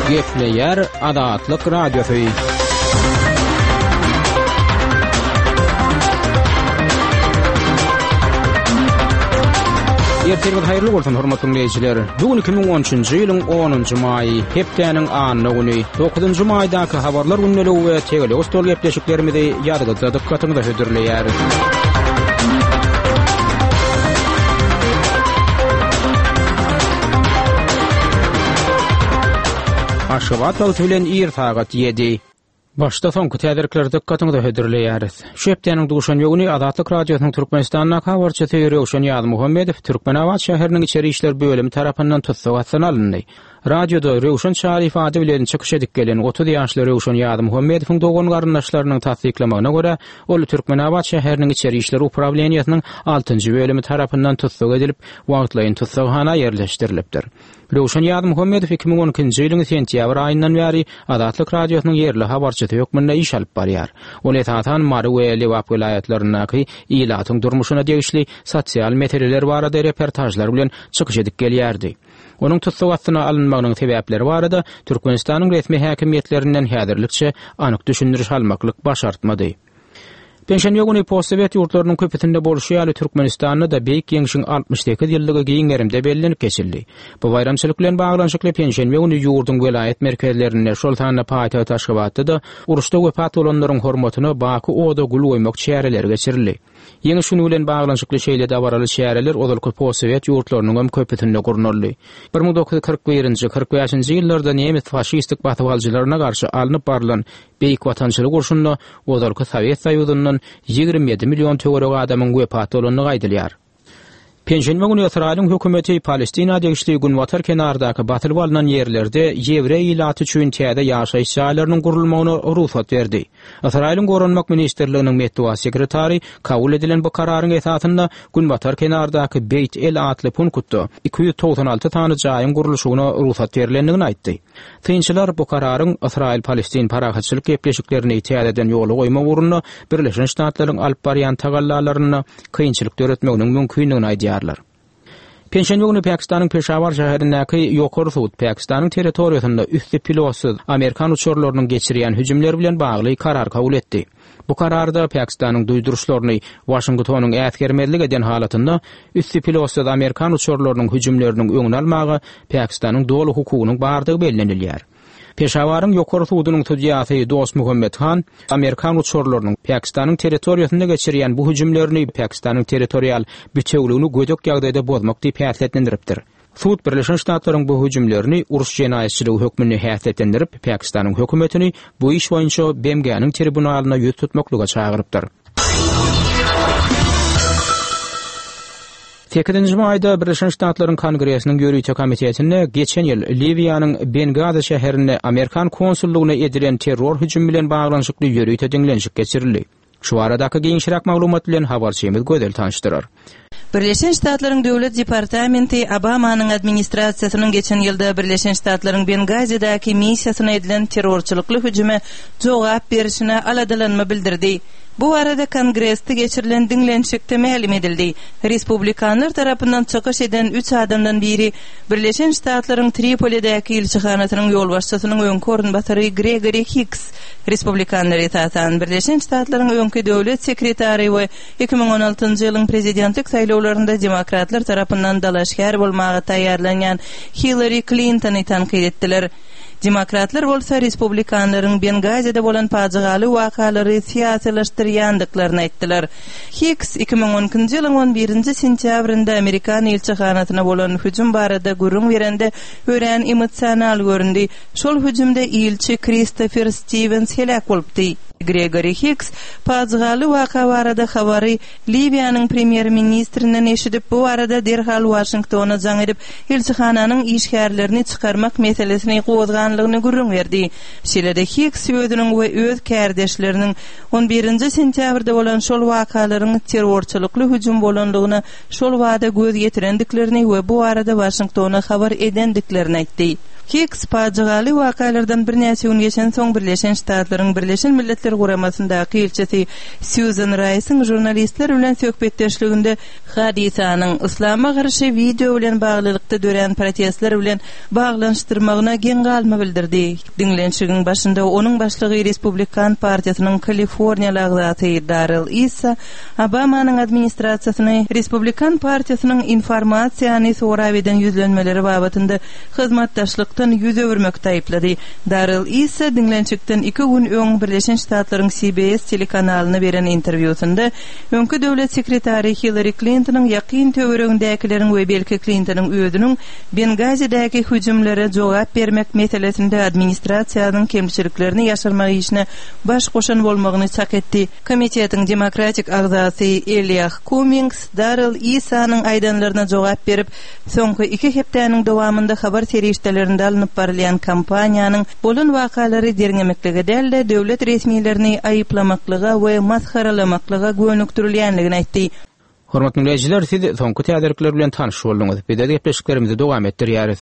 Gepleýär Azatlyk Radiosy. Ertiriňiz haýyrly bolsun, hormatly diňleýjiler. Bu gün 2013-nji ýylyň 10-njy maýy, hepdäniň anna güni. 9-njy maýdaky habarlar gündeligi we tegelek stol gepleşiklerimizi ýazgyda dykgatyňyza hödürleýäris. Aşgabat wagty bilen ir sagat 7. Başda soňky täzelikleri dykgatyňyza hödürleýäris. Şu hepdäniň duşenbe güni Azatlyk Radiosynyň Türkmenistandaky habarçysy Röwşen Ýazmuhammedow Türkmenabat şäheriniň içeri işler bölümi tarapyndan tussag astyna alyndy. Radioda Röwşen Çaryýew ady bilen çykyş edip gelen 30 ýaşly Röwşen Ýazmuhammedowyň dogan-garyndaşlarynyň tassyklamagyna görä, ol Türkmenabat şäheriniň içeri işler uprawleniýesiniň altynjy bölümi tarapyndan tussag edilip, wagtlaýyn tussaghana ýerleşdirilipdir. Röwşen Ýazmuhammedow 2012-nji ýylyň sentýabr aýyndan bäri Azatlyk Radiosynyň ýerli habarçysy hökmünde iş alyp barýar. Ol esasan Mary we Lebap welaýatlaryndaky ilatyň durmuşyna degişli sosial meseleler barada reportažlar bilen çykyş edip gelýärdi. Onuň tussag astyna alynmagynyň sebäpleri barada Türkmenistanyň resmi häkimiýetlerinden häzirlikçe anyk düşündiriş almaklyk başartmady. Penşenbe güni postsowet ýurtlarynyň köpüsinde bolşy ýaly Türkmenistanda-da Beýik Ýeňşiň 68 ýyllygy giň gerimde bellenip geçildi. Bu baýramçylyk bilen baglanyşykly penşenbe güni ýurduň welaýat merkezlerinde, şol sanda paýtagt Aşgabatda-da uruşda wepat bolanlaryň hormatyna Baky oda gül goýmak çäreleri geçirildi. Ýeňiş güni bilen baglanyşykly şeýle dabaraly çäreler ozalky postsowet ýurtlarynyňam köpüsinde gurnaldy. 1941-nji, 45-nji ýyllarda nemes faşistik basybalyjylaryna garşy alnyp barlan Beýik Watançylyk urşunda ozalky Sowet Soýuzyndan 27 million töweregi adamyň wepat bolandygy aýdylýar. Penşenbe güni Ysraýylyň hökümeti Palestina degişli günbatar kenardaky basylyp alnan ýerlerde ýewreý ilaty üçin täze ýaşaýyş jaýlarynyň gurulmagyna rugsat berdi. Ysraýylyň Goranmak ministrliginiň metbugat sekretary kabul edilen bu kararyň esasynda günbatar kenardaky Beýt El atly punktda 296 sany jaýyň gurluşygyna rugsat berlendigini aýtdy. Synçylar bu kararyň Ysraýyl-Palestin parahatçylyk gepleşiklerini täzeden ýola goýmak ugrunda Birleşen Ştatlaryň alyp barýan tagallalarynda kynçylyk döretmeginiň mümkindigini aýdýarlar. Penşenbe güni Pakistanyň Peşawar şäherindäki Ýokary sud Pakistanyň territoriýasynda üsti pilotsyz amerikan uçarlarynyň geçirýän hüjümleri bilen bagly karar kabul etdi. Bu kararda Pakistanyň duýduryşlaryny Waşingtonyň äsgermezlik eden halatynda üsti pilotsyz amerikan uçarlarynyň hüjümleriniň öňüni almaga Pakistanyň doly hukugynyň bardygy bellenilýär. Peşawaryň Ýokary sudunyň sudýasy Dost Muhammet Han amerikan uçarlarynyň Pakistanyň territoriýasynda geçirýän bu hüjümlerini Pakistanyň territorial bitewüligini gödek ýagdaýda bozmak diýip häsiýetlendiripdir. Sud Birleşen Ştatlaryň bu hüjümlerini uruş jenaýatçylygy hökmünde häsiýetlendirip, Pakistanyň hökümetini bu iş boýunça BMG-niň tribunalyna ýüz tutmaklyga çagyrypdyr. Sekizinji maýda Birleşen Ştatlaryň Kongresiniň ýörite komitetinde geçen ýyl Liwiýanyň Bengazi şäherinde amerikan konsullygyna edilen terror hüjümi bilen baglanyşykly ýörite diňlenişik geçirildi. Şu baradaky giňişräk maglumat bilen habarçymyz Gözel tanyşdyrar. Birleşen Ştatlaryň Döwlet departamenti Obamanyň administrasiýasynyň geçen ýylda Birleşen Ştatlaryň Bengazidäki missiýasyna edilen terrorçylykly hüjüme jogap berişine aladalanma bildirdi. Bu barada Kongresde geçirilen diňlenişikde mälim edildi. Respublikanlar tarapyndan çykyş eden üç adamdan biri Birleşen Ştatlaryň Tripolidäki ilçihanasynyň ýolbaşçysynyň öňki orunbasary Gregori Hiks. Respublikanlar esasan Birleşen Ştatlaryň öňki döwlet sekretary we 2016-njy ýylyň prezidentlik saýlawlarynda demokratlar tarapyndan dalaşgär bolmaga taýýarlanýan Hillari Klintony tankyt etdiler. Demokratlar bolsa respublikanlaryň Bengazide bolan pajygaly wakalary syýasylaşdyrýandyklaryny aýtdylar. Hiks 2012-nji ýylyň on birinji sentýabrynda amerikan ilçihanasyna bolan hüjüm barada gürrüň berende örän emosional göründi. Şol hüjümde ilçi Kristofer Stiwens heläk bolupdy. Gregori Hiks pajygaly waka barada habary Liwiýanyň premýer-ministrinden eşidip, bu barada derhal Waşingtona jaň edip, ilçihananyň işgärlerini çykarmak meselesini gozganlygyny gürrüň berdi. Şeýle-de Hiks özüniň we öz kärdeşleriniň on birinji sentýabrda bolan şol wakalaryň terrorçylykly hüjüm bolanlygyna şol bada göz ýetirendiklerini we bu barada Waşingtona habar edendiklerini aýtdy. Hiks pajygaly wakalardan birnäçe gün geçensoň Birleşen Ştatlaryň Birleşen Milletler Guramasyndaky ilçisi Sýuzan Raýsyň žurnalistler bilen söhbetdeşliginde hadysanyň yslama garşy wideo bilen baglylykda dörän protestler bilen baglanyşdyrmagyna geň galma bildirdi. Diňlenişigiň başynda onuň başlygy Respublikan partiýasynyň kaliforniýaly agzasy Darrell Issa Obamanyň administrasiýasyny Respublikan partiýasynyň informasiýany sorap eden ýüzlenmeleri babatynda hyzmatdaşlykdan ýüz öwürmekde aýyplady. Darrell Issa diňlenişikden iki gün öň Birleşen Ştatlaryň CBS telekanalyna beren interwýusynda öňki döwlet sekretary Hillari Klintonyň ýakyn töweregindäkileriň we belki Klintonyň özüniň Bengazidäki hüjümlere jogap bermek meselesinde administrasiýanyň kemçiliklerini ýaşyrmak işine baş goşan bolmagyny çak etdi. Komitetiň demokratik agzasy Eliah Kummings Darrell Issanyň aýdanlaryna jogap berip, soňky iki hepdäniň dowamynda habar serişdelerinde alnyp barylýan kampaniýanyň bolan wakalary derňemeklige däl-de, döwlet resmilerini aýyplamaklyga we masgaralamaklyga gönükdirilýänligini aýtdy. Hormatly diňleýjiler, siz soňky täzelikler bilen tanyş bolduňyz. Biz öz gepleşiklerimizi dowam etdirýäris.